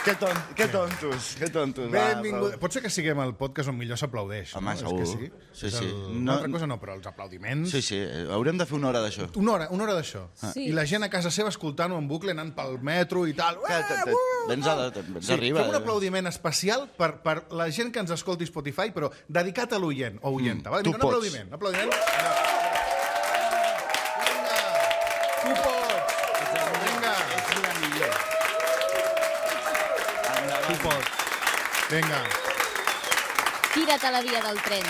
Que tontos. Benvingut. Pot ser que siguem el podcast on millor s'aplaudeix. Home, segur. Sí. Una altra cosa no, però els aplaudiments... Sí, haurem de fer una hora d'això. Una hora d'això. Sí. I la gent a casa seva escoltant-ho en bucle, anant pel metro i tal. Vens arriba. Fem un aplaudiment especial per la gent que ens escolti Spotify, però dedicat a l'oient o oienta. Tu pots. Un aplaudiment. Vinga. Tu pots. Vinga. Ets la millor. Tu pots. Vinga. Tira't a la via del tren.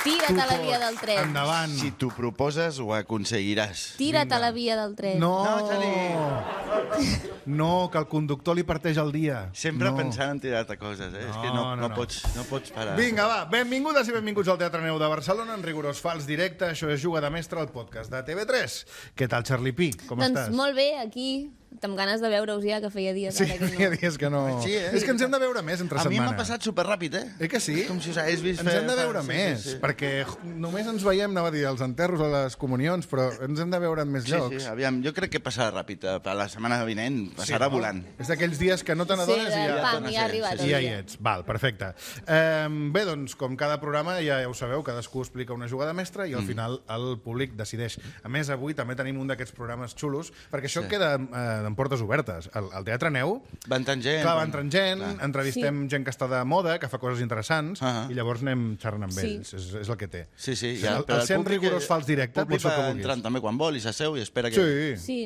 Tira't a la via del tren. Endavant. Si t'ho proposes, ho aconseguiràs. Tira't a la via del tren. No, que el conductor li parteix el dia. Sempre pensant en tirar-te coses, eh? És que no pots parar. Vinga, va, benvingudes i benvinguts al Teatre Neu de Barcelona, en rigorós fals directe. Això és Juga de Mestre, el podcast de TV3. Què tal, Charlie Pi? Com estàs? Doncs molt bé, aquí, amb ganes de veure-us ja, que feia dies. Sí, feia dies que no... Sí, eh? És que ens hem de veure més entre A mi setmana. m'ha passat superràpid, eh? Que sí? Com si us hagués vist ens hem de veure més, sí. perquè només ens veiem, anava a dir, als enterros o les comunions, però ens hem de veure en més llocs. Sí, aviam, jo crec que passarà ràpid. A la setmana vinent passarà volant. És d'aquells dies que no te n'adones i ja... Pam, ja ha arribat. I ja hi ets. Val, perfecte. Bé, doncs, com cada programa, ja ho sabeu, cadascú explica una jugada mestra i al final el públic decideix. A més, avui també tenim un d'aquests programes xulos, perquè això queda en portes obertes. Al Teatre Neu... Va entrant gent. Clar, va entrant gent, entrevistem gent que està de moda, que fa coses interessants, i llavors anem xerrant amb ells. És el que té. Sí. El sent rigorós fals directe, pots fer el que vulguis. Entrant també quan vol i s'asseu i espera que... Sí.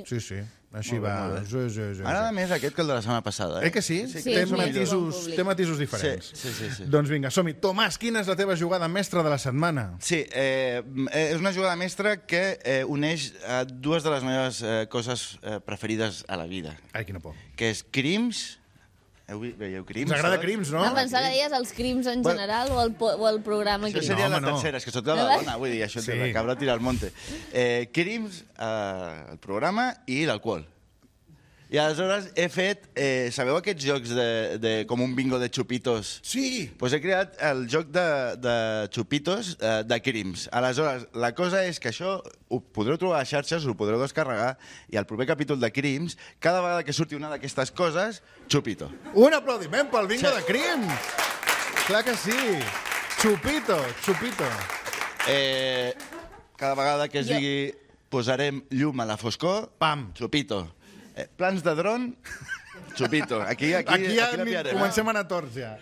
Així va. M'agrada més aquest que el de la setmana passada. Que sí? Té matisos diferents. Sí. Doncs vinga, som-hi. Tomàs, quina és la teva jugada mestra de la setmana? Sí, és una jugada mestra que uneix dues de les meves coses preferides a la vida. Ai, quina por. Que és Crims... Veieu Crims? Ens agrada Crims, no? Em pensava que deies els crims en general o el programa Això Crims. seria la tercera, és que sóc de la dona, vull dir, això Sí. de la cabra tira al monte. Crims, el programa i l'alcohol. I aleshores he fet... sabeu aquests jocs com un bingo de xupitos? Sí! Doncs he creat el joc de xupitos de Crims. Aleshores, la cosa és que això ho podreu trobar a xarxes, ho podreu descarregar, i al proper capítol de Crims, cada vegada que surti una d'aquestes coses, xupito. Un aplaudiment pel bingo de Crims! Clar que sí! Xupito. Cada vegada que es digui posarem llum a la foscor, Pam! xupito. Plans de dron, xupito. Aquí ja la pillarem. comencem a anar torts, ja.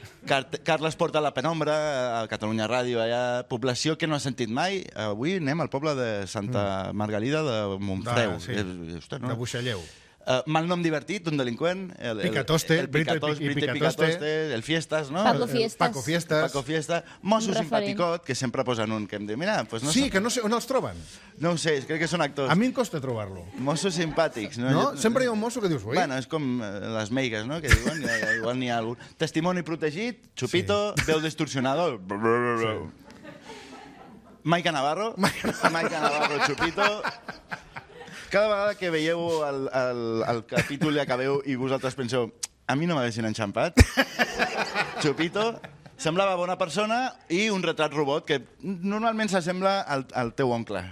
Carles porta la penombra a Catalunya Ràdio, allà, població que no ha sentit mai. Avui anem al poble de Santa Margalida de Montfreu. De Buixalleu. Mal nom divertit, un delinqüent. Picatoste, el Picatoste, el Fiestas, no? Paco Fiestas. Paco Fiestas. Mosso Un referent. simpaticot, que sempre posen un que em diu, mira, pues no Sí, que no sé on els troben. No ho sé, crec que són actors. A mi em costa trobar-lo. Mossos simpàtics, no? No? Sempre hi ha un mosso que dius, ui. Bueno, és com les meigues, no?, que diuen, igual n'hi ha algun. Testimoni protegit, xupito, veu distorsionador. Maica Navarro, xupito. Cada vegada que veieu el capítol i acabeu i vosaltres penseu a mi no m'haguessin enxampat, xupito, semblava bona persona i un retrat robot que normalment s'assembla al teu oncle.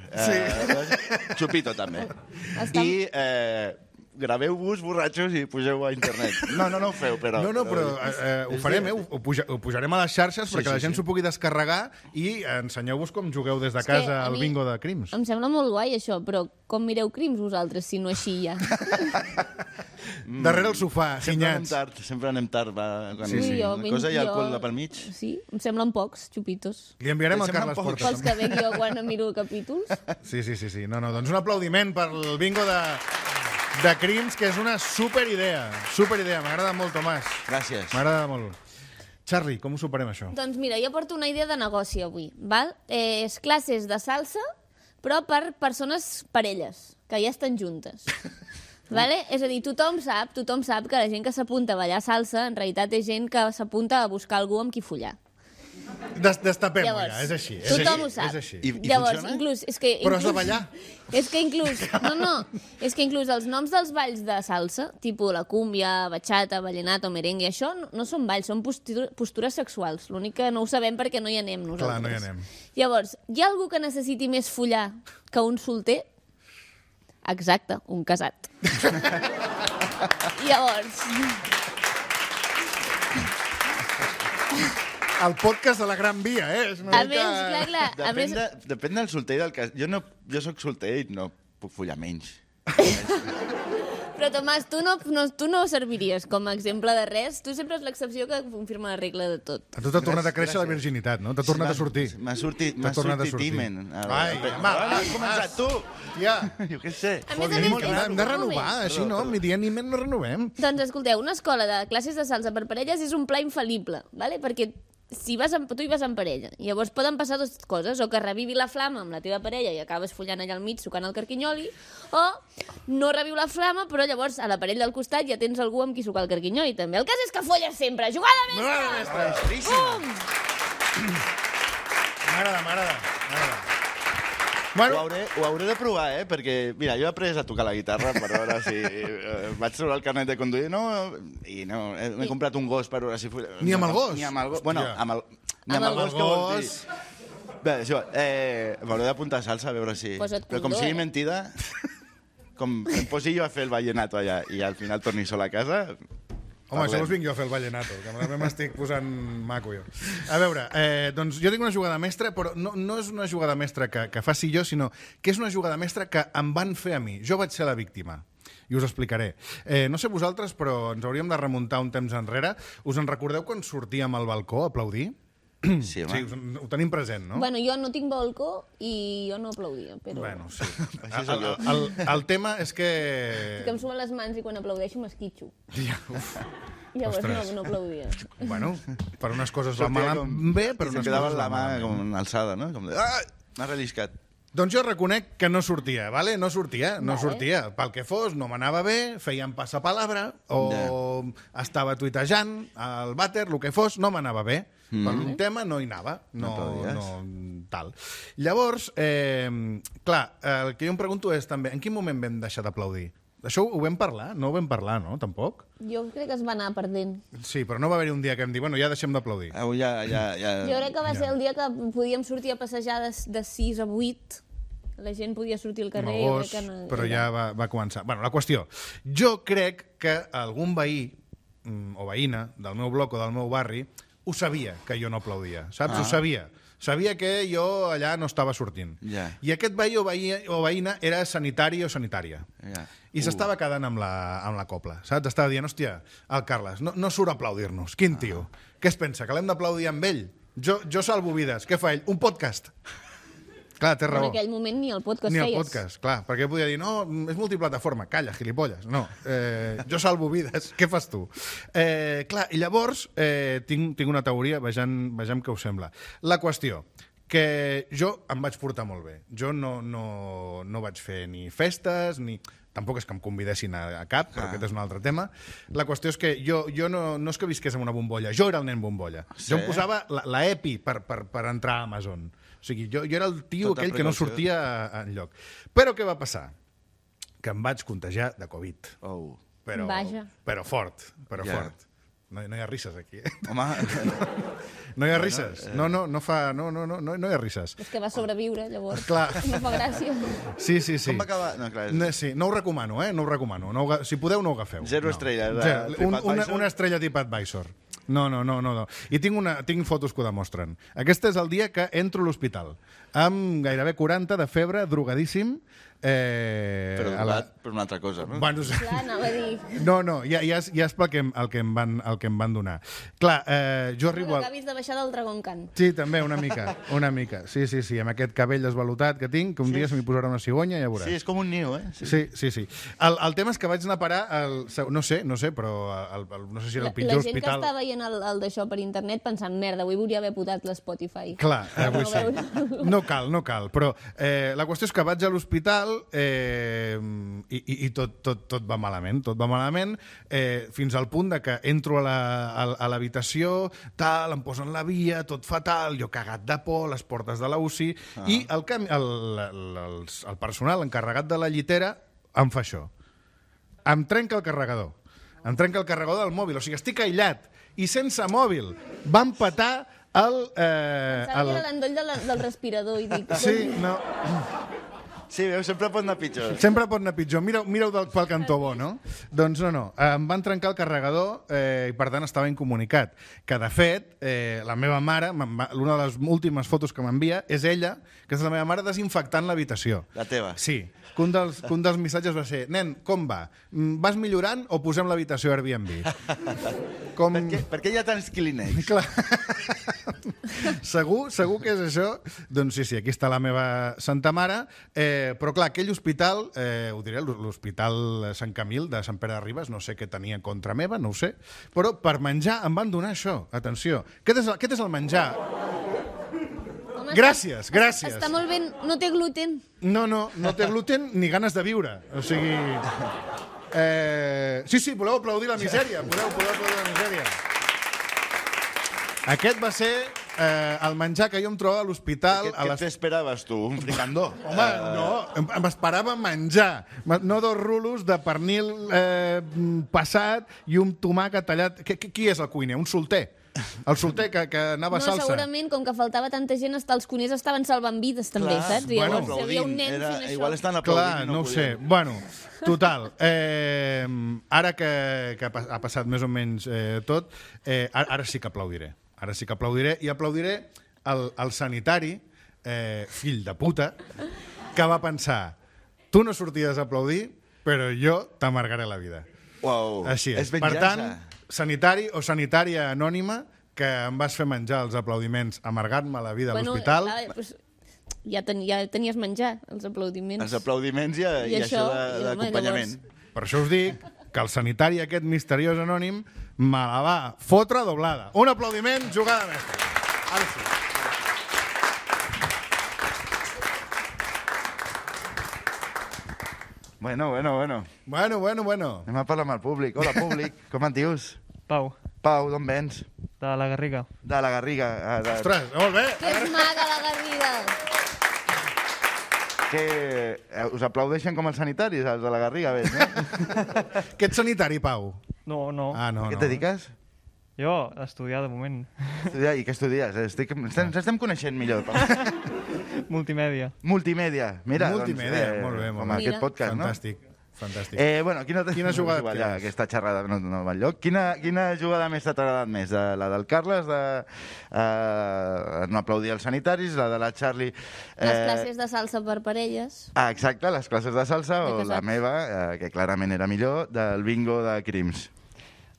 Xupito, també. I graveu-vos borratxos i pugeu a internet. No ho feu, però... No, però ho farem, ho pujarem a les xarxes perquè la gent s'ho pugui descarregar i ensenyeu-vos com jugueu des de casa al bingo de Crims. Em sembla molt guai, això, però com mireu Crims vosaltres, si no així ja? Darrere el sofà, ginyats. Sempre anem tard. Sí. La cosa hi ha alcohol pel mig. Sí, em semblen pocs, xupitos. Li enviarem al Carles Porta. Pels que veig jo quan miro capítols. Sí. No, doncs un aplaudiment pel bingo de Crims, que és una superidea. M'agrada molt, Tomàs. Gràcies. M'agrada molt. Charlie, com ho superem, això? Doncs mira, jo porto una idea de negoci avui, val? És classes de salsa, però per persones parelles, que ja estan juntes. Vale? És a dir, tothom sap que la gent que s'apunta a ballar salsa en realitat és gent que s'apunta a buscar algú amb qui follar. Destapem-ho ja, és així. Tothom ho sap. I Llavors, funciona? inclús... Però has de ballar. És que inclús els noms dels balls de salsa, tipus la cúmbia, bachata, vallenato, merengue, això no són balls, són postures sexuals. L'únic que no ho sabem perquè no hi anem nosaltres. Clar, no hi anem. Llavors, hi ha algú que necessiti més follar que un solter? Exacte, un casat. Llavors... El podcast de la Gran Via, És una A més, clar, Depèn del solter i del cas. Jo soc solter i no puc follar menys. Però, Tomàs, tu no serviries com a exemple de res. Tu sempre és l'excepció que confirma la regla de tot. A tu t'ha tornat a créixer la virginitat, no? T'ha tornat a sortir. M'ha sortit timen. Ai, has començat tu. Ja. Jo què sé. A més, Hem de renovar, així no? Ni dia ni ment no renovem. Doncs escolteu, una escola de classes de salsa per parelles és un pla infal·lible, ¿vale? Perquè si tu hi vas en parella, llavors poden passar dues coses, o que revivi la flama amb la teva parella i acabes follant allà al mig sucant el carquinyoli, o no reviu la flama, però llavors a la parella del costat ja tens algú amb qui sucar el carquinyoli també. El cas és que folles sempre. Jugada mestra! M'agrada. Bueno. Ho hauré de provar, perquè, mira, jo he après a tocar la guitarra per veure si... vaig treure el carnet de conduir, m'he comprat un gos per veure si... Ni amb el gos? Ni amb el gos. Bueno, amb el gos que vol dir. Bé, això, m'hauré d'apuntar a salsa a veure si... Però com sigui mentida, com em posi jo a fer el vallenato allà i al final torni sol a casa... Home, això us vinc jo a fer el vallenato, que també m'estic posant maco jo. A veure, doncs jo tinc una jugada mestra, però no és una jugada mestra que faci jo, sinó que és una jugada mestra que em van fer a mi. Jo vaig ser la víctima. I us explicaré. No sé vosaltres, però ens hauríem de remuntar un temps enrere. Us en recordeu quan sortíem al balcó a aplaudir? Sí, home. Sí, ho tenim present, no? Bueno, jo no tinc balcó i jo no aplaudia, però... Bueno, sí. Així sóc jo. El tema és que... Que em sumen les mans i quan aplaudeixo m'esquitxo. Ja, uf. Llavors no aplaudia. Bueno, per unes coses va mal bé, per unes quedava coses la va mà malament. com alçada, no? Com de... Ah! M'ha relliscat. Doncs jo reconec que no sortia, ¿vale? No sortia. Vale. Pel que fos, no m'anava bé, feien passapalabra, o estava tuitejant al vàter, el que fos, no m'anava bé. Per un tema no hi anava. No tal. Llavors, clar, el que jo em pregunto és també, en quin moment vam deixar d'aplaudir? Això ho vam parlar? No ho vam parlar, no? Tampoc? Jo crec que es va anar perdent. Sí, però no va haver-hi un dia que em digui, bueno, ja deixem d'aplaudir. Ja. Jo crec que va ser el dia que podíem sortir a passejar de 6 a 8. La gent podia sortir al carrer. Gos, però ja va començar. Bueno, la qüestió. Jo crec que algun veí o veïna del meu bloc o del meu barri ho sabia, que jo no aplaudia, saps? Ho sabia. Sabia que jo allà no estava sortint. Ja. I aquest veí o veïna era sanitari o sanitària. Ja. I s'estava quedant amb la copla, saps? Estava dient, hòstia, el Carles, no surt a aplaudir-nos. Quin tio? Què es pensa, que l'hem d'aplaudir amb ell? Jo salvo vides. Què fa ell? Un podcast. Clar, té raó. En aquell moment ni el podcast Ni feies. el podcast, clar. Perquè podia dir, no, és multiplataforma. Calla, gilipolles. No, jo salvo vides. Què fas tu? Clar, i llavors tinc una teoria, vejam què us sembla. La qüestió, que jo em vaig portar molt bé. Jo no vaig fer ni festes, ni... Tampoc és que em convidessin a cap, però aquest és un altre tema. La qüestió és que jo no és que visqués en una bombolla, jo era el nen bombolla. Sí? Jo em posava la EPI per entrar a Amazon. O sigui, jo era el tio Tota aquell que no sortia enlloc. Però què va passar? Que em vaig contagiar de Covid. Oh. Vaja. Però fort. Ja. No hi ha risses aquí. Home, No hi ha risses. No hi ha risses. És que va sobreviure, llavors. Clar. No fa gràcia. Sí. com va acabar? No, clar, Sí, no ho recomano, no ho recomano. Si podeu, no ho agafeu. 0 estrelles de TripAdvisor. Una estrella TripAdvisor. No. I tinc fotos que ho demostren. Aquest és el dia que entro a l'hospital, amb gairebé 40 de febre, drogadíssim. Però per una altra cosa, no? Bueno, Clar, anava a dir... no, ja és pel que em van donar. Clar, jo arribo... Que acabis de baixar del Dragon Khan. Sí, també, una mica. Sí, amb aquest cabell desvalutat que tinc, que un dia se m'hi posarà una cigonya, ja veuràs. Sí, és com un niu, Sí. El tema és que vaig anar a parar no sé, però no sé si era el pitjor hospital. La gent que està veient el d'això per internet pensant, merda, avui volia haver posat l'Spotify. Clar, avui sí. No cal, però la qüestió és que vaig a l'hospital i tot va malament, fins al punt de que entro a l'habitació, em posen la via, tot fatal, jo cagat de por, les portes de la UCI, i el personal encarregat de la llitera em fa això. Em trenca el carregador. Em trenca el carregador del mòbil, o sigui, estic aïllat i sense mòbil. Van petar Pensava que era l'endoll del respirador i dic... Sí, no... Sí, veus, sempre pot anar pitjor. Sempre pot anar pitjor. Mireu pel cantó bo, no? Doncs no. Em van trencar el carregador i, per tant, estava incomunicat. Que, de fet, la meva mare, una de les últimes fotos que m'envia, és ella, que és la meva mare, desinfectant l'habitació. La teva. Sí. Que un dels missatges va ser: nen, com va? Vas millorant o posem l'habitació Airbnb? Per què hi ha tants Kleenex? Clar. Segur que és això. Doncs sí, aquí està la meva santa mare. Però clar, aquell hospital, ho diré, l'Hospital Sant Camil de Sant Pere de Ribes, no sé què tenia contra meva, no ho sé, però per menjar em van donar això. Atenció, aquest és el menjar. Home, Gràcies. Està molt bé, no té gluten. No té gluten ni ganes de viure. O sigui... Sí, voleu aplaudir la misèria. Podeu aplaudir la misèria. Aquest va ser el menjar que jo em trobava a l'hospital. Què t'esperaves, tu? Un fricandó? Home, no, m'esperava menjar. No 2 rulos de pernil passat i un tomàquet tallat. Qui és el cuiner? Un solter? El solter que anava a salsa. No, segurament, com que faltava tanta gent, els cuiners estaven salvant vides, també, saps? I llavors hi havia un nen fent això. Igual estan aplaudint. Clar, no ho sé. Bueno, total. Ara que ha passat més o menys tot, ara sí que aplaudiré. Ara sí que aplaudiré. I aplaudiré el sanitari, fill de puta, que va pensar: tu no sorties a aplaudir, però jo t'amargaré la vida. Uau, així és. És venjança. Per tant, sanitari o sanitària anònima, que em vas fer menjar els aplaudiments, amargar-me la vida a l'hospital. Ja tenies menjar, els aplaudiments. Els aplaudiments i això d'acompanyament. Per això us dic que el sanitari aquest misteriós anònim me la va fotre doblada. Un aplaudiment, jugada mestra. Ara sí. Bueno. Anem a parlar amb el públic. Hola, públic. Com et dius? Pau, Pau, d'on vens? de la Garriga. De la Garriga. Ostres, molt bé. Que és maca, la Garriga. Us aplaudeixen com els sanitaris, els de la Garriga, veig, no? Que ets sanitari, Pau? No. Ah, no. A què et dediques? Jo, a estudiar de moment. I què estudies? Ens estem coneixent millor. Multimèdia. Multimèdia. Mira, Multimèdia, molt bé. Com aquest podcast, Fantàstic. Bueno, quina jugada et ja, quedes? aquesta xerrada no va enlloc. Quina jugada més t'ha agradat més? La del Carles, de no aplaudir els sanitaris, la de la Charlie... Les classes de salsa per parelles. Exacte, les classes de salsa, o la meva, que clarament era millor, del bingo de crims.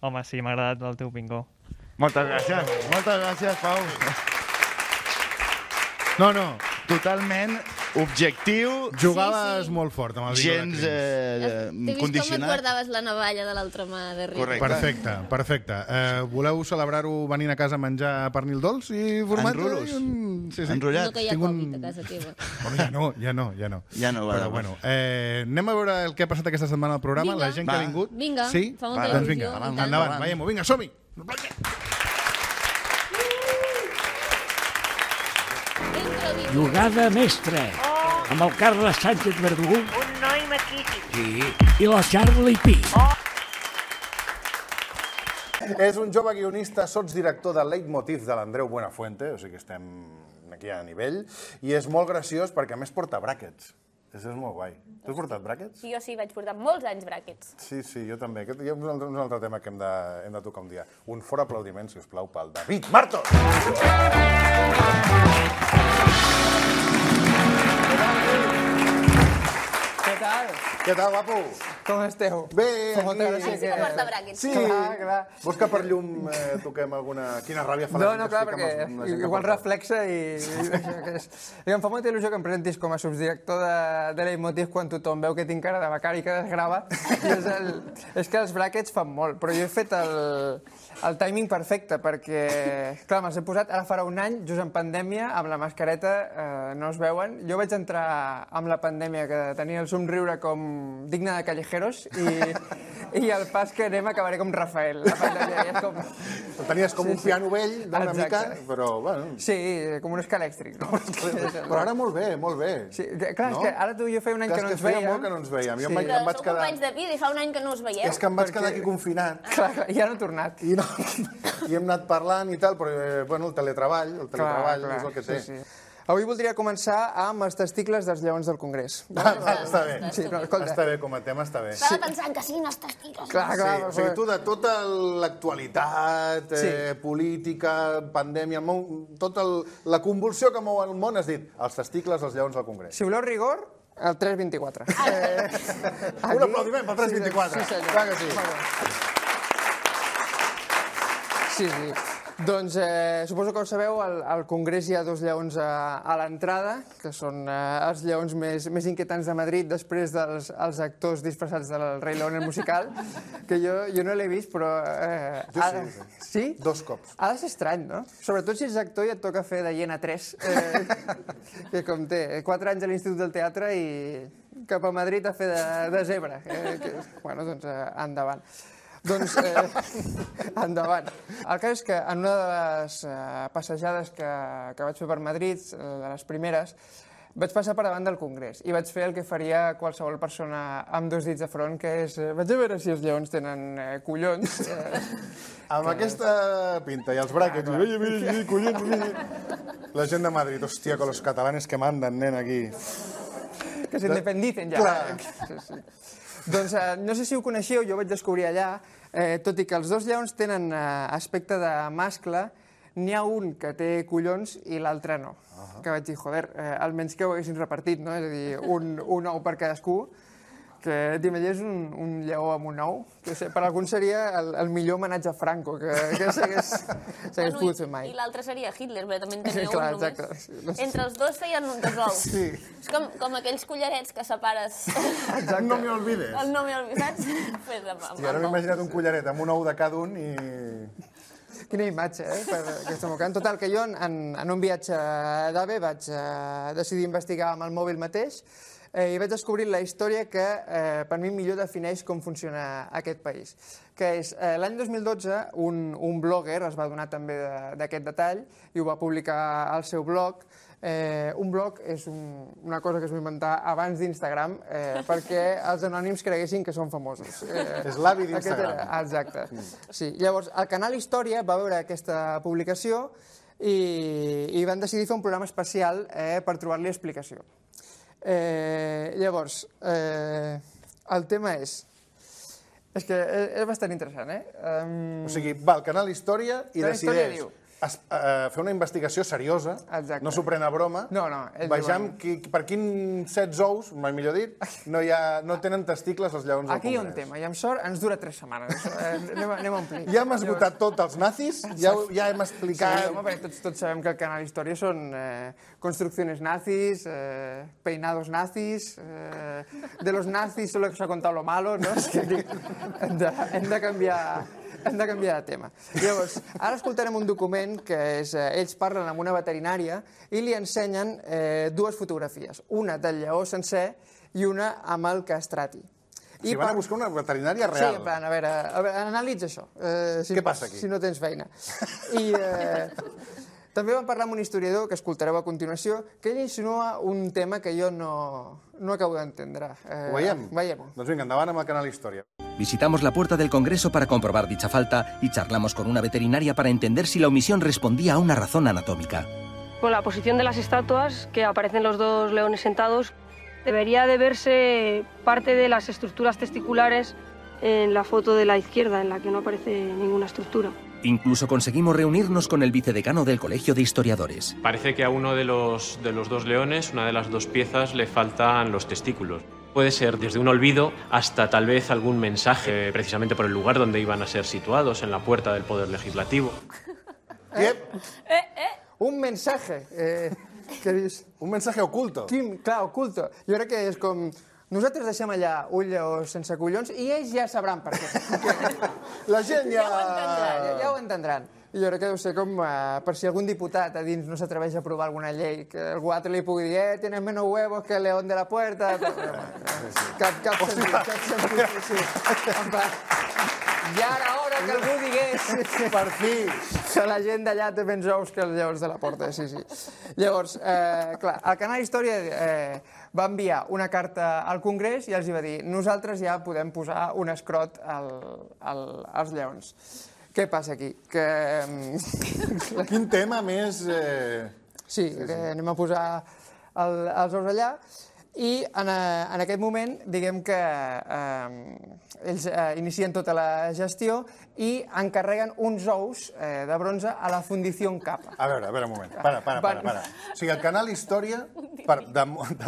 Home, sí, m'ha agradat el teu bingo. Moltes gràcies, Pau. No. Totalment objectiu. Jugaves molt fort amb el bingo gens de crims. T'he vist com et guardaves la navalla de l'altra mà darrere. Correcte. Perfecte. Voleu celebrar-ho venint a casa a menjar pernil dolç i formatge? En rulos. Sí. Enrotllat. No, que hi ha Covid a casa teva. Ja no. Ja no, Però bueno, anem a veure el que ha passat aquesta setmana al programa, Vinga. la gent que ha vingut. Vinga, sí? fa molta Doncs il·lusió. vinga, endavant, veiem-ho. Vinga, som-hi! Jugada mestra, amb el Carles Sánchez Verdú. Un noi maquíssim. Sí. I la Charlie Pi. És un jove guionista, sotsdirector de Leitmotiv de l'Andreu Buenafuente, o sigui que estem aquí a nivell, i és molt graciós perquè a més porta bràquets. Això és molt guai. Tu has portat bràquets? Jo sí, vaig portar molts anys bràquets. Sí, jo també. Aquest hi ha un altre tema que hem de tocar un dia. Un fort aplaudiment, si us plau, pel David Martos! Què tal, guapo? Com esteu? Bé, Molta aquí... gràcia Sí que porta bràquets. Sí, clar. Vols que per llum toquem alguna... Quina ràbia fa la gent No, que clar, explica perquè amb la gent que igual porta. reflexa i això que és... I em fa molta il·lusió que em presentis com a subdirector de Leitmotiv quan tothom veu que tinc cara de becari que desgrava. És que els bràquets fan molt, però jo he fet el timing perfecte perquè, clar, me'ls he posat ara farà un any, just en pandèmia, amb la mascareta, no es veuen. Jo vaig entrar amb la pandèmia que tenia el somriure com digne de callejeros i al pas que anem acabaré com Rafael. La pandèmia és com... Tenies com un piano vell d'una mica, però bueno... Sí, com un escalèctric. Però ara molt bé. Sí, clar, és que ara tu i jo feia un any que no ens veiem. Feia molt que no ens veiem. Jo em Però vaig sou quedar... companys de vida i fa un any que no us veieu. És que em vaig quedar aquí confinat. Clar, i ara he tornat. I hem anat parlant i tal, però bueno, el teletreball és el que té. Sí. Avui voldria començar amb els testicles dels lleons del Congrés. Està bé. Sí, no, escolta. Està bé, com a tema està bé. Estava pensant que sí, no els testicles. Clar, Sí, clar, o sigui, tu de tota l'actualitat, Sí. política, pandèmia, tota la convulsió que mou el món, has dit els testicles dels lleons del Congrés. Si voleu rigor, el 324. Un aplaudiment pel 324. Sí, senyor. Clar que sí. Molt bé. Sí, sí. Doncs suposo que ho sabeu, al Congrés hi ha dos lleons a l'entrada, que són els lleons més inquietants de Madrid, després dels actors disfressats del Rei León, el musical, que jo no l'he vist, però... Jo sí. Sí? 2 cops. Ha de ser estrany, no? Sobretot si ets actor i et toca fer de hiena 3, que com té 4 anys a l'Institut del Teatre i cap a Madrid a fer de zebra. Bueno, doncs endavant. Doncs, endavant. El cas és que en una de les passejades que vaig fer per Madrid, de les primeres, vaig passar per davant del Congrés i vaig fer el que faria qualsevol persona amb 2 dits de front, que és vaig a veure si els lleons tenen collons. Amb aquesta pinta i els bràquets, mira, collons, la gent de Madrid, hòstia, con los catalanes que mandan, nen, aquí. Que s'independicen ja. Clar. Sí. Doncs no sé si ho coneixeu, jo ho vaig descobrir allà, tot i que els 2 lleons tenen aspecte de mascle, n'hi ha un que té collons i l'altre no. Que vaig dir, joder, almenys que ho haguessin repartit, no? És a dir, un ou per cadascú, que t'imagines un lleó amb un ou, que per alguns seria el millor homenatge a Franco que s'hagués pogut fer mai. I l'altre seria Hitler, perquè també en tenia un Clar, només. exacte. Entre els dos feien un dos ous. Sí. És com aquells collarets que separes. No me olvides. El no me olvides, saps? Fes I ara m'he imaginat un collaret amb un ou de cada un i... Quina imatge, per aquesta mocant. Total, que jo en un viatge d'AVE vaig decidir investigar amb el mòbil mateix i vaig descobrir la història que per mi millor defineix com funciona aquest país. Que és, l'any 2012, un blogger es va donar també d'aquest detall i ho va publicar al seu blog. Un blog és una cosa que es va inventar abans d'Instagram perquè els anònims creguessin que són famosos. És l'avi d'Instagram. Exacte. Sí. Llavors, el canal Història va veure aquesta publicació i van decidir fer un programa especial per trobar-li explicació. Llavors, el tema és que és bastant interessant, O sigui, va al canal Història i Canal Història decideix diu. fer una investigació seriosa, Exacte. no s'ho pren a broma, No, ells vejam per quin 7 ous, mai millor dit, no tenen testicles els lleons del Aquí hi ha un Congrés. tema, i amb sort ens dura 3 setmanes. Anem a omplir. Ja hem esgotat tot els nazis, ja hem Sí, explicat... home, perquè tots sabem que el canal Història són construcciones nazis, peinados nazis, de los nazis solo que s'ha contat lo malo, no? És que hem de canviar de tema. Llavors, ara escoltarem un document que és... Ells parlen amb una veterinària i li ensenyen 2 fotografies. Una del lleó sencer i una amb el castrati. Si van a buscar una veterinària real. Sí, en plan, a veure, analitza això. Què passa aquí? Si no tens feina. I també vam parlar amb un historiador, que escoltareu a continuació, que ell insinua un tema que jo no acabo d'entendre. Ho veiem? Veiem-ho. Doncs vinga, endavant amb el canal Història. Visitamos la puerta del Congreso para comprobar dicha falta y charlamos con una veterinaria para entender si la omisión respondía a una razón anatómica. Con la posición de las estatuas, que aparecen los 2 leones sentados, debería de verse parte de las estructuras testiculares en la foto de la izquierda, en la que no aparece ninguna estructura. Incluso conseguimos reunirnos con el vicedecano del Colegio de Historiadores. Parece que a uno de los 2 leones, una de las 2 piezas, le faltan los testículos. Puede ser desde un olvido hasta tal vez algún mensaje, precisamente por el lugar donde iban a ser situados, en la puerta del Poder Legislativo. Un mensaje. Què dius? Un mensaje oculto. Clar, oculto. Jo crec que és com... Nosaltres deixem allà un lleó sense collons i ells ja sabran per què. La gent ja... Ja ho entendran. I jo crec que deu ser com per si algun diputat a dins no s'atreveix a aprovar alguna llei, que algú altre li pugui dir tienes menos huevos que el león de la puerta... Cap sentit. Sí. Ja era hora que algú digués... Per fi! Que la gent d'allà té menys ous que els lleons de la porta, sí. Llavors, clar, el canal Història va enviar una carta al Congrés i els va dir nosaltres ja podem posar un escrot als lleons. Què passa aquí? Quin tema més Sí, anem a posar els ous allà. I en aquest moment, diguem que ells inicien tota la gestió i encarreguen uns ous de bronze a la Fundició Capa. A veure, un moment. Para. O sigui, el canal Història, de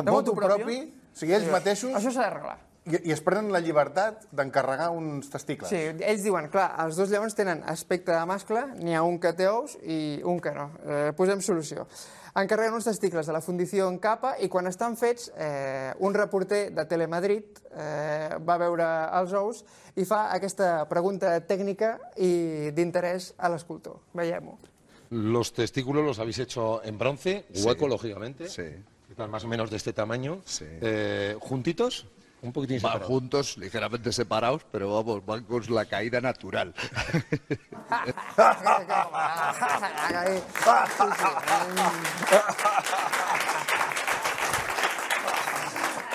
motu propi, o sigui, ells mateixos... Això s'ha d'arreglar. I es prenen la llibertat d'encarregar uns testicles. Sí, ells diuen, clar, els dos lleons tenen aspecte de mascle, n'hi ha un que té ous i un que no. Posem solució. Encarreguen uns testicles de la Fundició Capa i quan estan fets, un reporter de Telemadrid va veure els ous i fa aquesta pregunta tècnica i d'interès a l'escultor. Veiem-ho. Los testículos los habéis hecho en bronce, hueco, Sí. lógicamente. Sí. Están más o menos de este tamaño. Sí. ¿Juntitos? Un poquitín Van separados. juntos, ligeramente separados, pero vamos, van con la caída natural.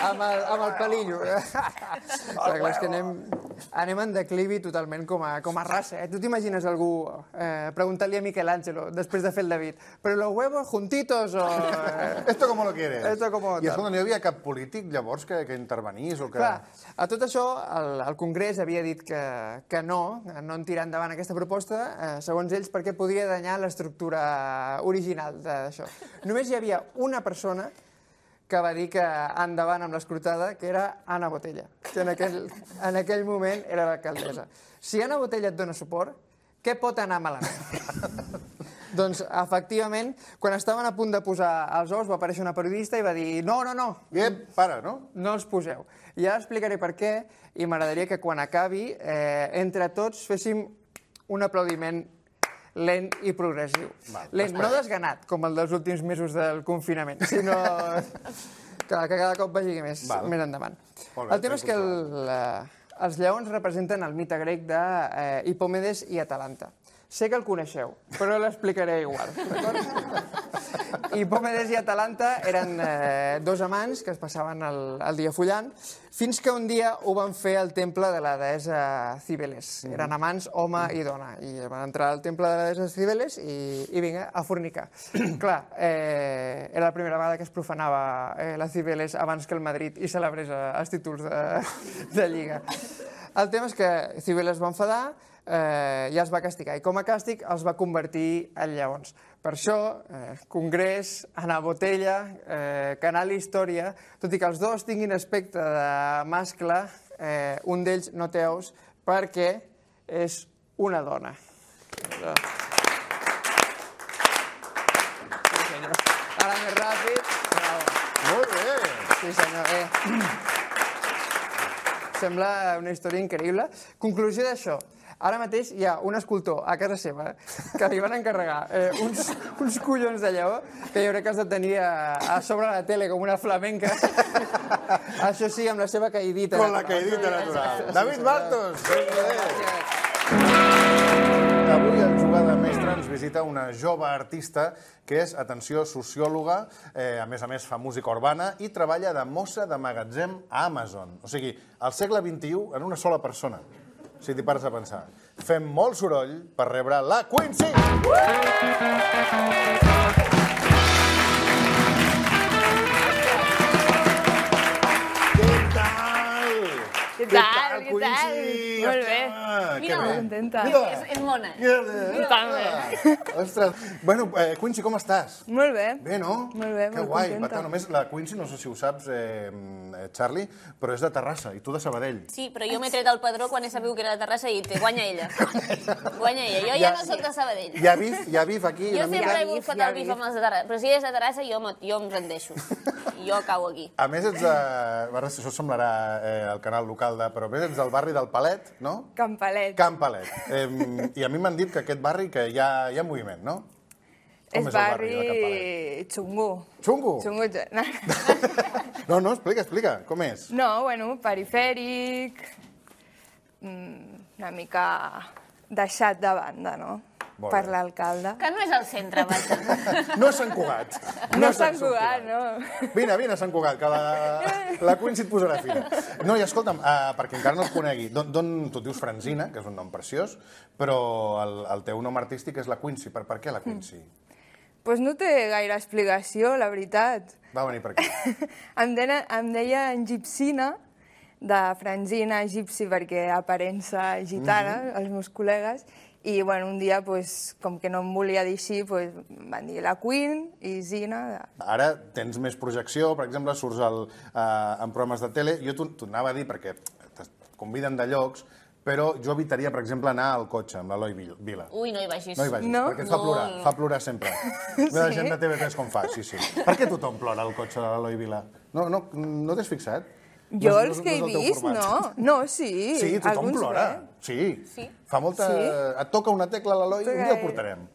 Amb el pelillo. Clar, és que anem en declivi totalment com a raça. Tu t'imagines algú preguntant-li a Michelangelo, després de fer el David, però los huevos juntitos o... Esto como lo quieres? Esto como... I escolta, no hi havia cap polític llavors que intervenís o que... Clar, a tot això el Congrés havia dit que no en tirar endavant aquesta proposta, segons ells, perquè podia danyar l'estructura original d'això. Només hi havia una persona que va dir que endavant amb l'escrutada, que era Anna Botella, que en aquell moment era l'alcaldessa. Si Anna Botella et dona suport, què pot anar malament? Doncs, efectivament, quan estaven a punt de posar els ous, va aparèixer una periodista i va dir no. Para, no? No els poseu. I ara explicaré per què i m'agradaria que quan acabi, entre tots féssim un aplaudiment lent i progressiu. Lent, no desganat, com el dels últims mesos del confinament, sinó que cada cop vagi més endavant. El tema és que els lleons representen el mite grec d'Hipòmedes i Atalanta. Sé que el coneixeu, però l'explicaré igual. Hipòmedes i Atalanta eren dos amants que es passaven el dia follant, fins que un dia ho van fer al temple de la deessa Cibeles. Eren amants, home i dona, i van entrar al temple de la deessa Cibeles i vinga, a fornicar. Clar, era la primera vegada que es profanava la Cibeles abans que el Madrid i celebrés els títols de Lliga. El tema és que Cibeles va enfadar, ja els va castigar, i com a càstig els va convertir en lleons. Per això, Congrés, Anna Botella, Canal Història, tot i que els dos tinguin aspecte de mascle, un d'ells no té ous perquè és una dona. Ara més ràpid. Molt bé. Sí, senyor. Sembla una història increïble. Conclusió d'això. Ara mateix hi ha un escultor a casa seva que li van encarregar uns collons de lleó que jo crec que has de tenir a sobre la tele com una flamenca. Això sí, amb la seva caïdita. Con la caïdita natural. David Bartos! Avui al Jugada Mestra ens visita una jove artista que és, atenció, sociòloga, a més fa música urbana i treballa de mossa de magatzem a Amazon. O sigui, al segle XXI en una sola persona, si t'hi pares a pensar. Fem molt soroll per rebre la Quincy! Què tal, Quincy? Molt bé. Mira, molt contenta. És mona. Ostres. Bueno, Quincy, com estàs? Molt bé. Bé, no? Molt bé, que molt guai. contenta. Per només la Quincy, no sé si ho saps, Charlie, però és de Terrassa, i tu de Sabadell. Sí, però jo m'he tret el padró quan he sabut que era de Terrassa i he dit, guanya ella. Guanya ella. Jo ja no soc de Sabadell. Hi ha bif aquí? Jo sempre he buscat el bif amb els de Terrassa, però si és de Terrassa jo em rendeixo. Jo cau aquí. A més, ets de... Això semblarà el canal local, però a més ets del barri del Palet, no? Can Palet. Can Palet. I a mi m'han dit que aquest barri que hi ha moviment, no? Com És barri xungo. Xungo? Xungo. No, explica, com és? No, bueno, perifèric, una mica deixat de banda, no? Per l'alcalde. Que no és al centre, vaja. No és Sant Cugat. No és Sant Cugat, no. Vine, Sant Cugat, que la Quincy et posarà fina. No, i escolta'm, perquè encara no et conegui, tu et dius Franzina, que és un nom preciós, però el teu nom artístic és la Quincy. Per què la Quincy? Doncs no té gaire explicació, la veritat. Va venir per aquí. Em deia Gipsina, de franzina egipci, perquè aparença gitana, els meus col·legues, i un dia, com que no em volia dir així, van dir la Queen i Zina. Ara tens més projecció, per exemple, surts en programes de tele. Jo t'ho anava a dir perquè et conviden de llocs, però jo evitaria, per exemple, anar al cotxe amb l'Eloi Vila. Ui, no hi vagis. No hi vagis, perquè et fa plorar sempre. La gent de TV3 com fa, sí. Per què tothom plora al cotxe de l'Eloi Vila? No t'has fixat? Jo els que he vist, no. No, sí. Sí, tothom plora. Sí. Fa molta... Et toca una tecla a l'Eloi, un dia el portarem.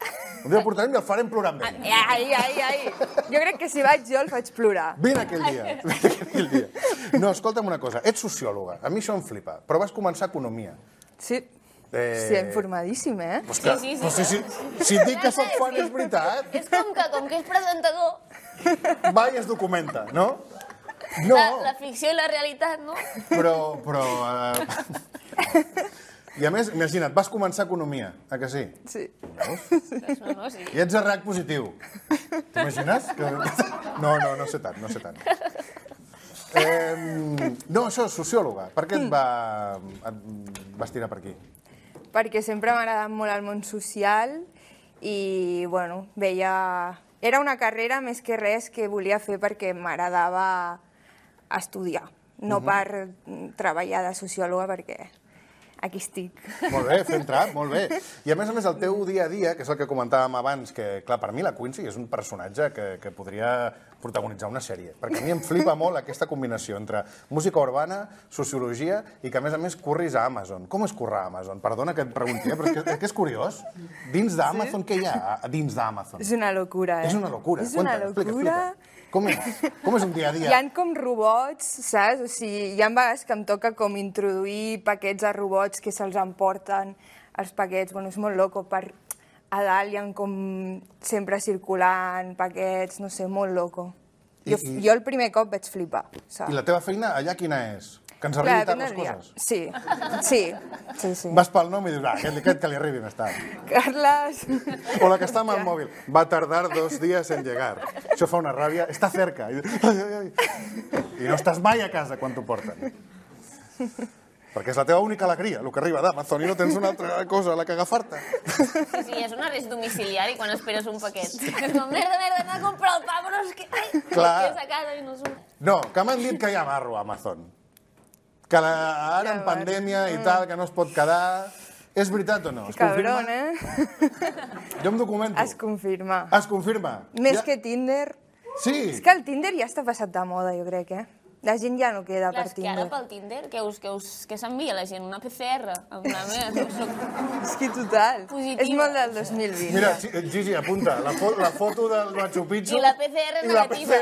Un dia el portarem i el farem plorar amb ell. Ai. Jo crec que si vaig jo el faig plorar. Vine aquell dia. No, escolta'm una cosa. Ets sociòloga. A mi això em flipa. Però vas començar economia. Sí. Sí, informadíssim, eh? Sí. Si et dic que soc fan, és veritat. És com que és presentador... Va i es documenta, no? La ficció i la realitat, no? Però... I a més, imagina't, vas començar economia, que sí? Sí. No, sí. I ets a RAC positiu. T'imagines? No sé tant. No, això, sociòloga. Per què et vas tirar per aquí? Perquè sempre m'ha agradat molt el món social i, veia... Era una carrera més que res que volia fer perquè m'agradava estudiar, no per treballar de sociòloga, perquè aquí estic. Molt bé, fent trap, molt bé. I a més, el teu dia a dia, que és el que comentàvem abans, que, clar, per mi la Quincy és un personatge que podria protagonitzar una sèrie, perquè a mi em flipa molt aquesta combinació entre música urbana, sociologia i que, a més, curris a Amazon. Com és currar a Amazon? Perdona que et pregunti, però és que és curiós. Dins d'Amazon, què hi ha dins d'Amazon? És una locura, eh? És una locura. És una locura. Com és un dia a dia? Hi ha com robots, saps? O sigui, hi ha vegades que em toca com introduir paquets a robots que se'ls emporten els paquets. És molt loco. A dalt hi ha com sempre circulant paquets, no sé, molt loco. Jo el primer cop vaig flipar. I la teva feina allà quina és? Que ens arribi tard les coses? Sí. Vas pel nom i dius, aquest que li arribi més tard. Carles... O la que està amb el mòbil. Va tardar 2 días en llegar. Això fa una ràbia. Està cerca. I no estàs mai a casa quan t'ho porten. Perquè és la teva única alegria, el que arriba d'Amazon, i no tens una altra cosa a la que agafar-te. Sí, és un arrest domiciliari quan esperes un paquet. És com, merda, anar a comprar el pa, però és que... Clar. A casa i no surt. No, que m'han dit que hi ha marro a Amazon. Que ara en pandèmia i tal, que no es pot quedar... És veritat o no? Es confirma? Cabron, eh? Jo em documento. Es confirma. Es confirma? Més que Tinder. Sí. És que el Tinder ja està passat de moda, jo crec, eh? La gent ja no queda per Tinder. Clar, és que ara pel Tinder, què s'envia la gent? Una PCR? És que total. Positiva. És molt del 2020. Mira, Gigi, apunta, la foto del Machu Picchu... I la PCR negativa.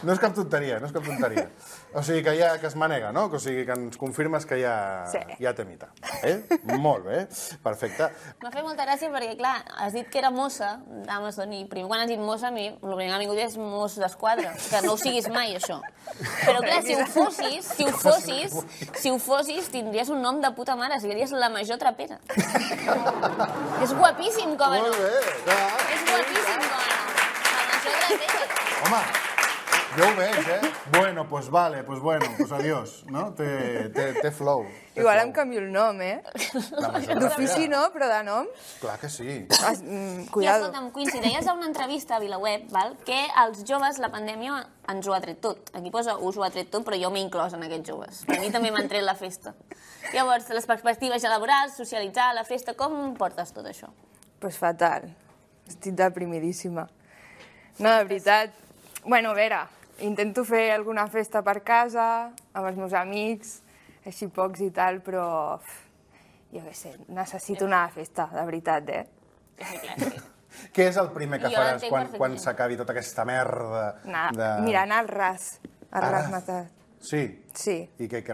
No és cap tonteria, no és cap tonteria. O sigui, que es manega, no? O sigui, que ens confirmes que hi ha temita. Molt bé, perfecte. M'ha fet molta gràcia perquè, clar, has dit que era mossa d'Amazon i primer quan has dit mossa, a mi el primer que m'ha vingut és mos d'esquadra, que no ho siguis mai, això. Però, clar, si ho fossis, tindries un nom de puta mare, series la major trapera. És guapíssim, com a nom. Molt bé, clar. És guapíssim, com a nom. La major trapera. Home, jo ho veig, eh? Bueno, pues vale, pues adiós, no? Té flow. Igual em canvio el nom, eh? D'ofici no, però de nom... Clar que sí. Cuidado. Escolta'm, Quincy, deies a una entrevista a VilaWeb, que els joves, la pandèmia, ens ho ha tret tot. Aquí posa us ho ha tret tot, però jo m'he inclòs en aquests joves. A mi també m'han tret la festa. Llavors, les perspectives laborals, socialitzar, la festa, com portes tot això? Pues fatal. Estic deprimidíssima. No, de veritat. Bueno, a veure, intento fer alguna festa per casa, amb els meus amics, així pocs i tal, però jo què sé, necessito una festa, de veritat, eh? Què és el primer que faràs quan s'acabi tota aquesta merda? Mira, anar al ras. Al ras matat. Sí? Sí. I que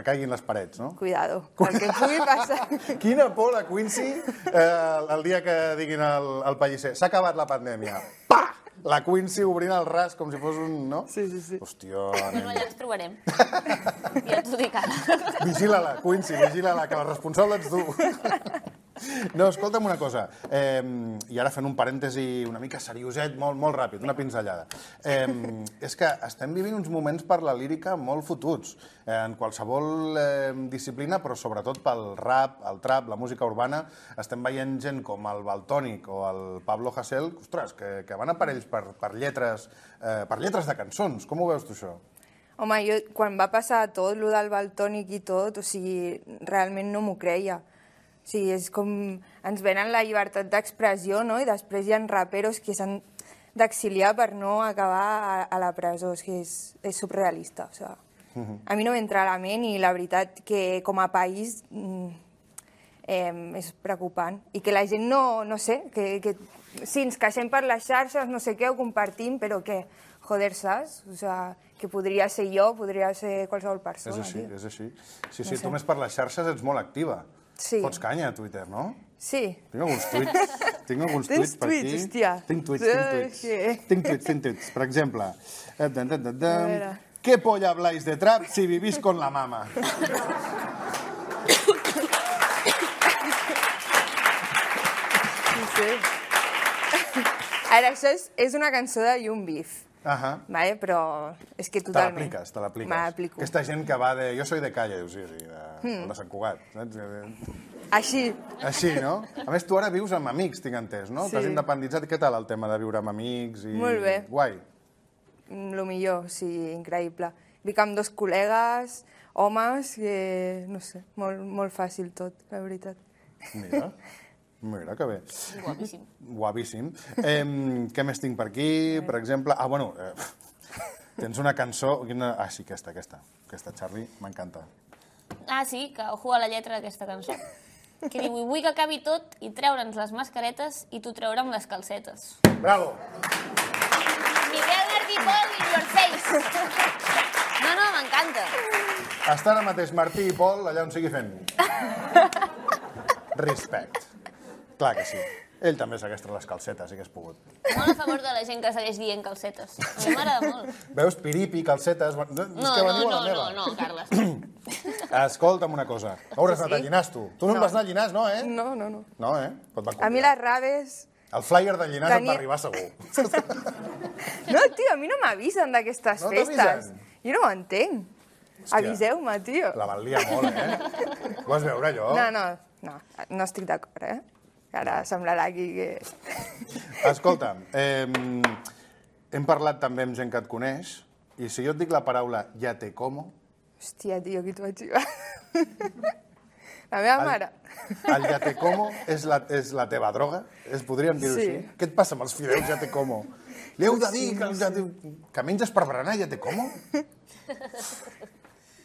caiguin les parets, no? Cuidado, el que pugui passar. Quina por la Quincy el dia que diguin al Pellicer s'ha acabat la pandèmia. Pa! La Quincy obrint el ras com si fos un... no? Sí. Hòstia... Bueno, allà ens trobarem. Ja t'ho dic ara. Vigila-la, Quincy, vigila-la, que la responsable ets tu. No, escolta'm una cosa, i ara fent un parèntesi una mica serioset, molt ràpid, una pinzellada. És que estem vivint uns moments per la lírica molt fotuts, en qualsevol disciplina, però sobretot pel rap, el trap, la música urbana, estem veient gent com el Valtònic o el Pablo Hasél, ostres, que van a per ells per lletres de cançons. Com ho veus tu, això? Home, jo, quan va passar tot, lo del Valtònic i tot, o sigui, realment no m'ho creia. O sigui, és com... Ens venen la llibertat d'expressió, no?, i després hi ha raperos que s'han d'exiliar per no acabar a la presó. És que és surrealista, o sigui... A mi no m'entra a la ment i la veritat que com a país és preocupant. I que la gent no sé, que sí, ens queixem per les xarxes, no sé què, ho compartim, però que, joder, saps? O sigui, que podria ser jo, podria ser qualsevol persona. És així. Sí, tu més per les xarxes ets molt activa. Sí. Fots canya a Twitter, no? Sí. Tinc alguns tuits per aquí. Hòstia. Tinc tuits. Per exemple, ¿qué polla habláis de trap si vivís con la mama? Sí. Ara, això és una cançó de Young Beef. Vale? Però és que totalment... Te l'apliques. Me l'aplico. Aquesta gent que va de... Jo soy de calle, de Sant Cugat. Així. Així, no? A més, tu ara vius amb amics, tinc entès, no? Sí. T'has independitzat. Què tal el tema de viure amb amics? Molt bé. Guai. Lo millor, sí, increïble. Vic amb 2 col·legues, homes, que no sé, molt fàcil tot, la veritat. Mira que bé. Guapíssim. Guapíssim. Què més tinc per aquí? Per exemple... Tens una cançó... Sí, aquesta, Charlie, m'encanta. Sí, que ojo a la lletra d'aquesta cançó. Que diu, vull que acabi tot i treure'ns les mascaretes i tu treure'm les calcetes. Bravo! Miguel Martí Pol in your face. No, m'encanta. Està ara mateix Martí i Pol allà on sigui fent. Respect. Clar que sí. Ell també s'hagués tret les calcetes, si hagués pogut. Molt a favor de la gent que segueix dient calcetes. A mi m'agrada molt. Veus, piripi, calcetes... No, Carles. Escolta'm una cosa. Hauràs anat a Llinars, tu. Tu no em vas anar a Llinars, no, eh? No. No, eh? A mi les raves... El flyer de Llinars et va arribar segur. No, tio, a mi no m'avisen d'aquestes festes. Jo no ho entenc. Aviseu-me, tio. La van liar molt, eh? Ho vas veure, allò? No estic d'acord, eh? Ara semblarà aquí que... Escolta'm, hem parlat també amb gent que et coneix, i si jo et dic la paraula ja te como... Hòstia, tio, qui t'ho vaig jugar? La meva mare. El ja te como és la teva droga? Podríem dir-ho així? Què et passa amb els fideus ja te como? Li heu de dir que menges per berenar ja te como?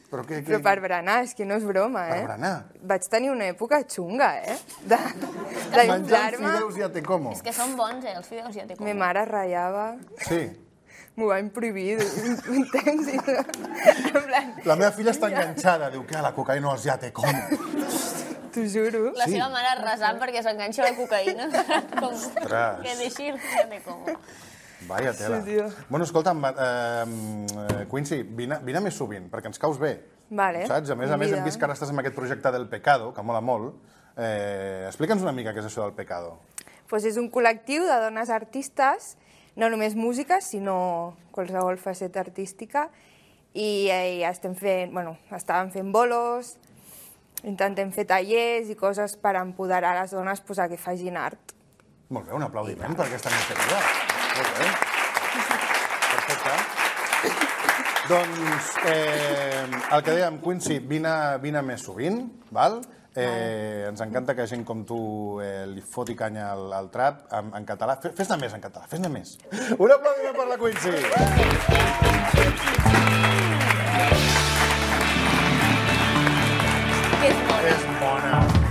Però per berenar, és que no és broma, eh? Per berenar? Vaig tenir una època xunga, eh? Menjant fideus ja te como. És que són bons, els fideus ja te como. Mi mare ratllava. Sí. M'ho van prohibir un temps. La meva filla està enganxada. Diu que la cocaïna és ja te como. T'ho juro. La seva mare resant perquè s'enganxa la cocaïna. Ostres. Que deixi el ja te como. Vaya tela. Bueno, escolta'm, Quincy, vine més sovint, perquè ens caus bé. Vale. Saps? A més, hem vist que ara estàs amb aquest projecte del Pecado, que mola molt. Explica'ns una mica què és això del Pecado. Pues és un col·lectiu de dones artistes, no només músiques, sinó qualsevol faceta artística, i estàvem fent bolos, intentem fer tallers i coses per empoderar les dones a que facin art. Molt bé, un aplaudiment per aquesta iniciativa. Molt bé. Perfecte. Doncs, el que dèiem, Quincy, vine més sovint, val? Ens encanta que gent com tu li foti canya al trap en català. Fes-ne més en català, fes-ne més. Un aplaudiment per la Quincy.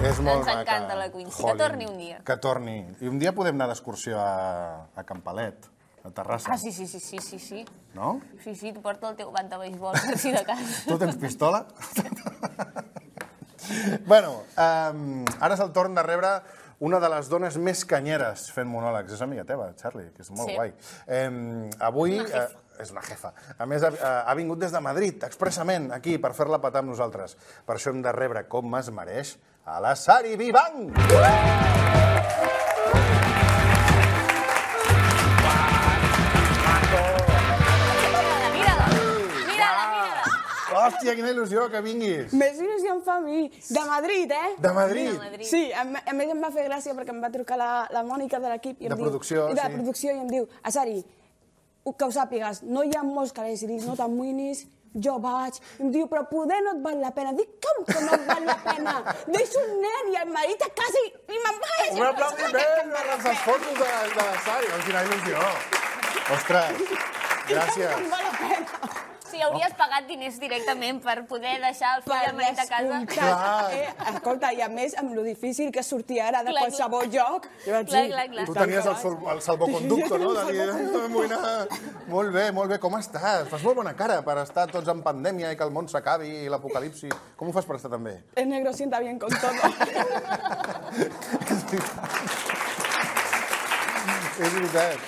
És molt maca. Ens encanta la Quincy. Que torni un dia. Que torni. I un dia podem anar d'excursió a Campalet, a Terrassa. Sí. No? Sí, tu porta el teu bat de beisbol, si de cas. Tu tens pistola? Bueno, ara és el torn de rebre una de les dones més canyeres fent monòlegs. És amiga teva, Charlie, que és molt guai. Avui és una jefa. A més, ha vingut des de Madrid, expressament, aquí, per fer-la petar amb nosaltres. Per això hem de rebre, com es mereix, a la Sari Vivang! Hòstia, quina il·lusió que vinguis. Més il·lusió em fa a mi. De Madrid, eh? De Madrid? Sí, a més em va fer gràcia perquè em va trucar la Mònica de l'equip. De producció, sí. De producció, i em diu, Asari, que ho sàpigues, no hi ha molts calés. I dic, no t'amoïnis, jo vaig. Em diu, però poder no et val la pena. Dic, com que no et val la pena? Deixo un nen i el marit a casa i me'n vaig. Un aplaudiment a les fotos de la Sari. Quina il·lusió. Ostres, gràcies. No val la pena. Sí, hauries pagat diners directament per poder deixar el fill i el marit a casa. Clar. Escolta, i a més, amb lo difícil que sortir ara de qualsevol lloc... Clar. Tu tenies el salvoconducto, no? Molt bé. Com estàs? Fas molt bona cara per estar tots en pandèmia i que el món s'acabi i l'apocalipsi. Com ho fas per estar tan bé? El negro sienta bien con todo. És veritat.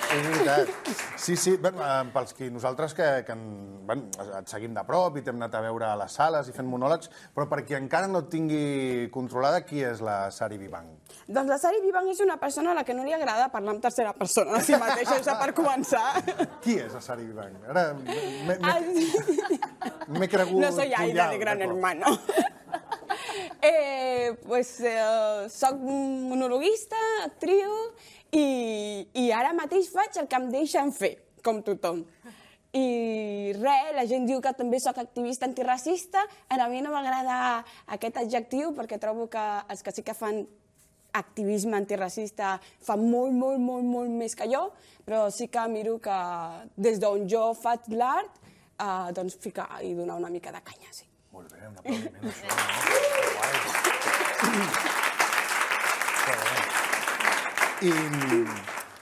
Sí, pels que nosaltres que et seguim de prop i t'hem anat a veure a les sales i fent monòlegs, però per qui encara no et tingui controlada, qui és la Sari Vivang? Doncs la Sari Vivang és una persona a la que no li agrada parlar en tercera persona de si mateixa, això per començar. Qui és la Sari Vivang? Ara m'he cregut... No soy Aida de Gran Hermano. Soc monologuista, actriu, i ara mateix faig el que em deixen fer, com tothom. I res, la gent diu que també soc activista antiracista. A mi no m'agrada aquest adjectiu perquè trobo que els que sí que fan activisme antiracista fan molt més que jo, però sí que miro que des d'on jo faig l'art, doncs ficar i donar una mica de canya, sí. Molt bé, un aplaudiment, això.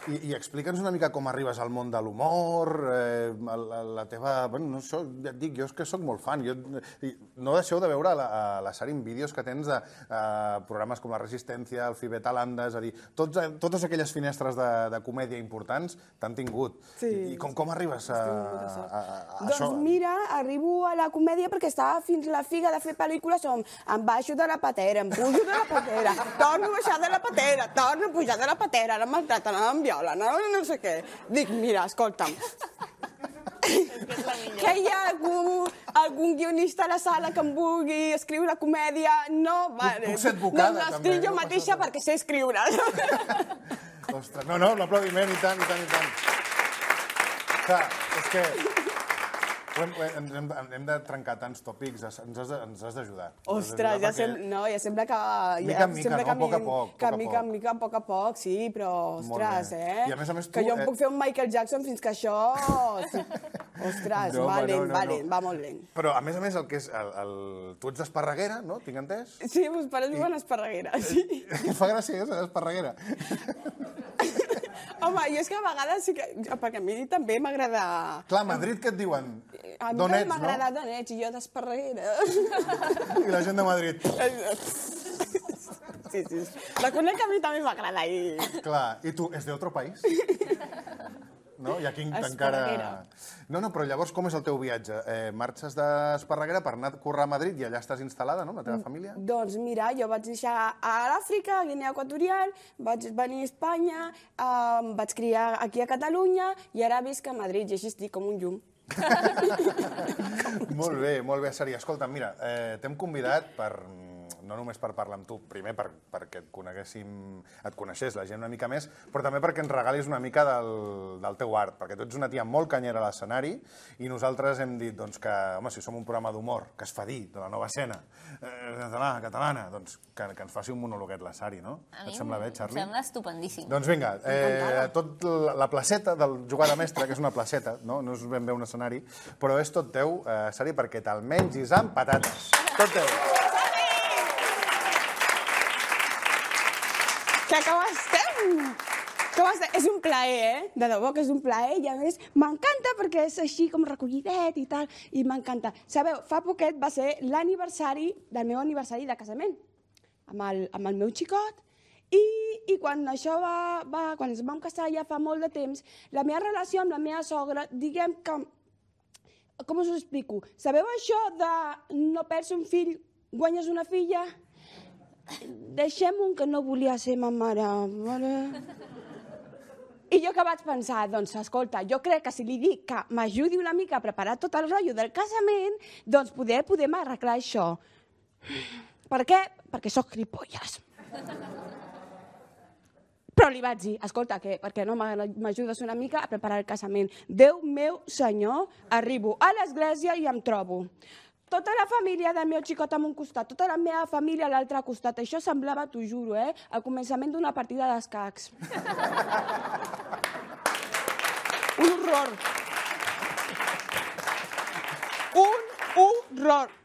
I explica'ns una mica com arribes al món de l'humor, la teva... Bueno, no, ja et dic, jo és que soc molt fan. No deixeu de veure la Sari en vídeos que tens de programes com La Resistència, el Fibet Alanda, és a dir, totes aquelles finestres de comèdia importants t'han tingut. I com arribes a això? Doncs mira, arribo a la comèdia perquè estava fins la figa de fer pel·lícules on em baixo de la patera, em pujo de la patera, torno a baixar de la patera, torno a pujar de la patera, ara em maltraten, ara em violen, no sé què. Dic, mira, escolta'm, que hi ha algun guionista a la sala que em vulgui escriure comèdia? No, vale. Puc ser advocada, també. No l'escric jo mateixa perquè sé escriure. Ostres, no, l'aplaudiment, i tant. Clar, és que hem de trencar tants tòpics, ens has d'ajudar. Ostres, ja sembla que... Mica en mica, no? A poc a poc, sí, però, ostres, I a més tu... Que jo em puc fer un Michael Jackson fins que això... Ostres, va molt lent. Però, a més, el que és... Tu ets d'Esparreguera, no? Tinc entès? Sí, meus pares viuen a Esparreguera, sí. Em fa gràcia, és d'Esparreguera. Home, jo és que a vegades sí que... Perquè a mi també m'agrada... Clar, a Madrid què et diuen? A mi també m'agrada Donets i jo d'Esparreguera. I la gent de Madrid. Sí. Reconec que a mi també m'agrada. Clar, i tu, és d'altre país? No? I aquí encara... No, però llavors com és el teu viatge? Marxes d'Esparreguera per anar a currar a Madrid i allà estàs instal·lada, no?, amb la teva família? Doncs mira, jo vaig deixar a l'Àfrica, a Guinea Equatorial, vaig venir a Espanya, em vaig criar aquí a Catalunya i ara visc a Madrid i així estic com un llum. Molt bé, Sari. Escolta, mira, t'hem convidat no només per parlar amb tu, primer perquè et coneixés la gent una mica més, però també perquè ens regalis una mica del teu art, perquè tu ets una tia molt canyera a l'escenari i nosaltres hem dit que, home, si som un programa d'humor que es fa dir de la nova escena catalana, doncs que ens faci un monologuet la Sari, no? Et sembla bé, Charlie? Em sembla estupendíssim. Doncs vinga, tot la placeta del jugar de mestre, que és una placeta, no és ben bé un escenari, però és tot teu, Sari, perquè te'l mengis amb patates. Tot teu. Que com estem? És un plaer, de debò que és un plaer, i a més m'encanta perquè és així com recollidet i tal, i m'encanta. Sabeu, fa poquet va ser l'aniversari del meu aniversari de casament, amb el meu xicot, i quan això quan ens vam casar ja fa molt de temps, la meva relació amb la meva sogra, diguem que Com us ho explico? Sabeu això de no perds un fill, guanyes una filla? Deixem-ho que no volia ser ma mare. I jo que vaig pensar, doncs, escolta, jo crec que si li dic que m'ajudi una mica a preparar tot el rotllo del casament, doncs podem arreglar això. Per què? Perquè sóc gilipolles. Però li vaig dir, escolta, per què no m'ajudes una mica a preparar el casament? Déu meu senyor, arribo a l'església i em trobo tota la família del meu xicot a un costat, tota la meva família a l'altre costat. Això semblava, t'ho juro, al començament d'una partida d'escacs. Un horror. Un horror.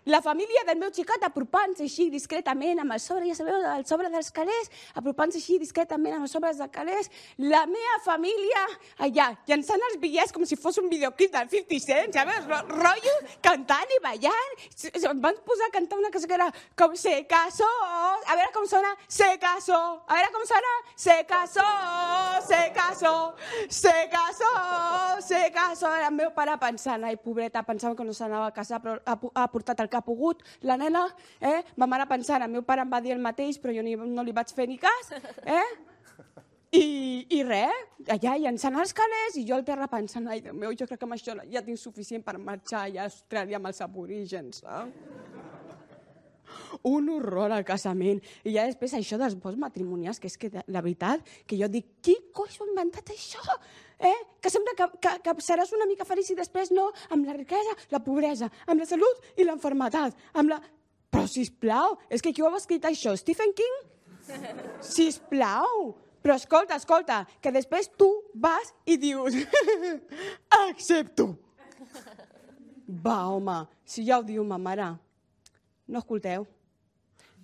La família del meu xicot apropant-se així discretament amb el sobre, ja sabeu, el sobre dels calés, apropant-se així discretament amb els sobres dels calés. La meva família allà, llançant els bitllets com si fos un videoclip del 50 Cent, sabeu? Rotllo, cantant i ballant. Em van posar a cantar una cosa que era com se casó. A veure com sona, se casó. A veure com sona, se casó, se casó, se casó, se casó. El meu pare pensant, ai, pobreta, pensava que no s'anava a casar, però ha portat el que ha pogut, la nena, ma mare pensant, el meu pare em va dir el mateix, però jo no li vaig fer ni cas, i res, allà llançant els calés, i jo al terra pensant, ai, Déu meu, jo crec que amb això ja tinc suficient per marxar allà a Austràlia amb els aborígens, un horror al casament. I ja després això dels vots matrimonials, que és que la veritat, que jo dic, qui coi s'ho ha inventat això? Que sembla que seràs una mica feliç i després no, amb la riquesa, la pobresa, amb la salut i l'enfermetat, amb la... Però, sisplau, és que qui ho ha escrit això? Stephen King? Sisplau! Però escolta, que després tu vas i dius, accepto. Va, home, si ja ho diu ma mare, no escolteu.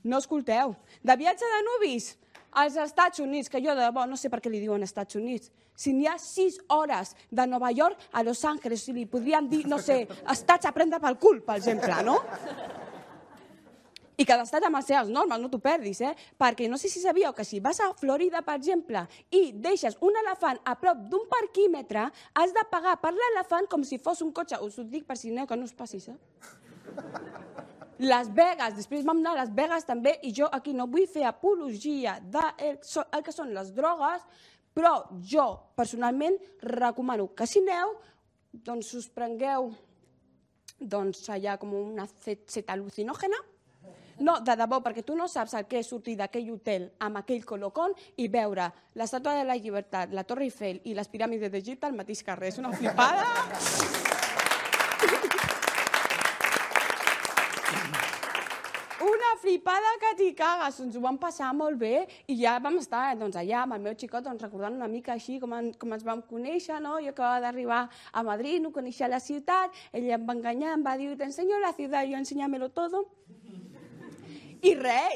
No escolteu. De viatge de nuvis als Estats Units, que jo de debò no sé per què li diuen Estats Units, si n'hi ha 6 hores de Nova York a Los Angeles, si li podrien dir, no sé, estats a prendre pel cul, per exemple, no? I cada estat amb les seves normes, no t'ho perdis, perquè no sé si sabíeu que si vas a Florida, per exemple, i deixes un elefant a prop d'un parquímetre, has de pagar per l'elefant com si fos un cotxe. Us ho dic per si no, que no us passis, Las Vegas, després vam anar a Las Vegas també, i jo aquí no vull fer apologia del que són les drogues, però jo personalment recomano que si aneu, doncs us prengueu allà com una ceta al·lucinògena. No, de debò, perquè tu no saps el que és sortir d'aquell hotel amb aquell colocón i veure l'Estàtua de la Llibertat, la Torre Eiffel i les piràmides d'Egipte al mateix carrer. És una flipada. Una flipada que t'hi cagues. Ens ho vam passar molt bé i ja vam estar allà amb el meu xicot recordant una mica així com ens vam conèixer. Jo acabava d'arribar a Madrid, no coneixia la ciutat, ell em va enganyar, em va dir, te enseño la ciudad, yo enséñamelo todo. I res,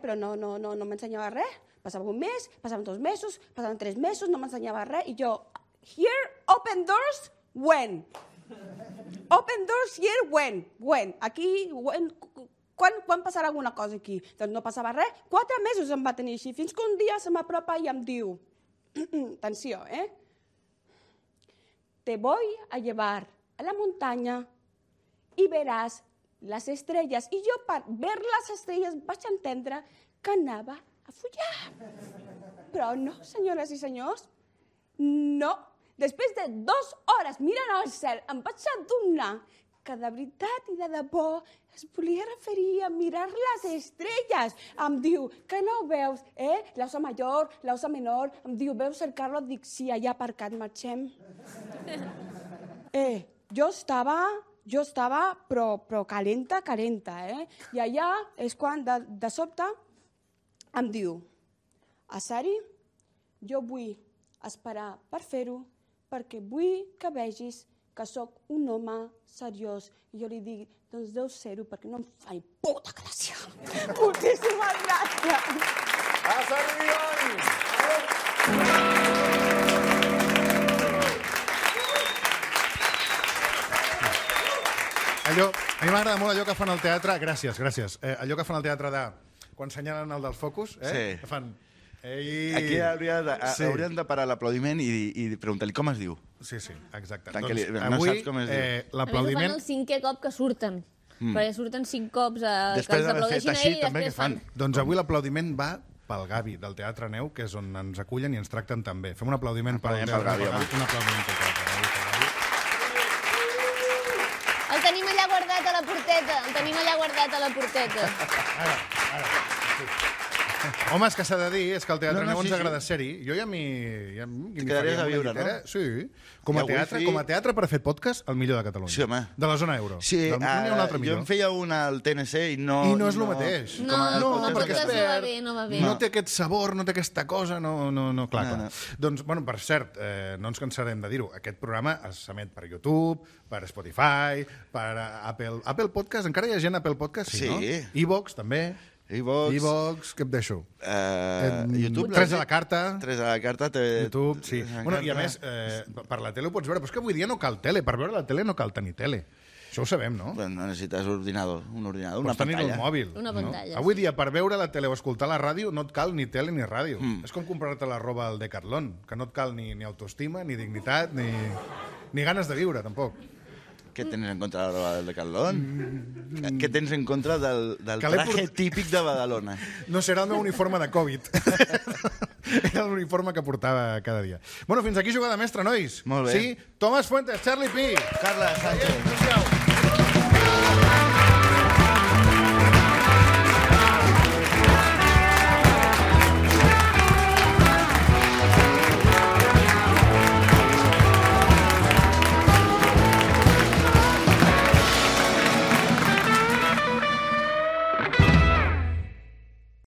però no m'ensenyava res. Passava un mes, passaven 2 mesos, passaven 3 mesos, no m'ensenyava res. I jo, here, open doors, when? Open doors here, when? Aquí, quan passarà alguna cosa aquí? Doncs no passava res. 4 mesos em va tenir així, fins que un dia se m'apropa i em diu, atenció, te voy a llevar a la montaña y verás les estrelles. I jo, per ver les estrelles, vaig entendre que anava a follar. Però no, senyores i senyors, no. Després de 2 hores mirant al cel, em vaig adonar que de veritat i de debò es volia referir a mirar les estrelles. Em diu, que no ho veus? L'osa major, l'osa menor. Em diu, veus el Carlos? Dic, sí, allà aparcat, marxem. Jo estava, però calenta, I allà és quan, de sobte, em diu, Asari, jo vull esperar per fer-ho, perquè vull que vegis que sóc un home seriós. I jo li dic, doncs deu ser-ho, perquè no em fa ni puta gràcia. Moltíssimes gràcies. Asari Bion! A mi m'agrada molt allò que fan al teatre, gràcies, allò que fan al teatre de, quan senyalen el dels focus, que fan... Aquí haurien de parar l'aplaudiment i preguntar-li com es diu. Sí, exacte. Doncs avui l'aplaudiment... A més, ho fan el 5è cop que surten. Perquè surten 5 cops que després els aplaudeixin a ell i després fan. Doncs avui l'aplaudiment va pel Gavi, del Teatre Neu, que és on ens acullen i ens tracten tan bé. Fem un aplaudiment pel Gavi. Un aplaudiment pel Gavi. El tenim allà guardat a la porteta. El tenim allà guardat a la porteta. Home, és que s'ha de dir, és que al Teatre Neu ens agrada ser-hi. Jo ja m'hi... quedaries a viure, no? Sí. Com a teatre per fer podcast, el millor de Catalunya. Sí, home. De la zona euro. Sí, no hi ha un altre millor. Jo em feia una al TNC i no... I no és el mateix. No, perquè no va bé. No té aquest sabor, no té aquesta cosa, no, clar. Doncs, bueno, per cert, no ens cansarem de dir-ho, aquest programa s'emet per YouTube, per Spotify, per Apple Podcast, encara hi ha gent a Apple Podcast, sí, no? iVox, també. iVox, què em deixo? YouTube. 3 a la carta. 3 a la carta. YouTube, sí. Bueno, i a més, per la tele ho pots veure, però és que avui dia no cal tele. Per veure la tele no cal tenir tele. Això ho sabem, no? No necessites un ordinador, una pantalla. Pots tenir el mòbil. Una pantalla. Avui dia, per veure la tele o escoltar la ràdio, no et cal ni tele ni ràdio. És com comprar-te la roba al Decathlon, que no et cal ni autoestima, ni dignitat, ni ganes de viure, tampoc. Què tens en contra de la roba del Decathlon? Què tens en contra del traje típic de Badalona? No serà el meu uniforme de Covid. Era l'uniforme que portava cada dia. Bueno, fins aquí Jugada Mestra, nois. Molt bé. Sí? Tomàs Fuentes, Charlie Pi. Carla Sánchez.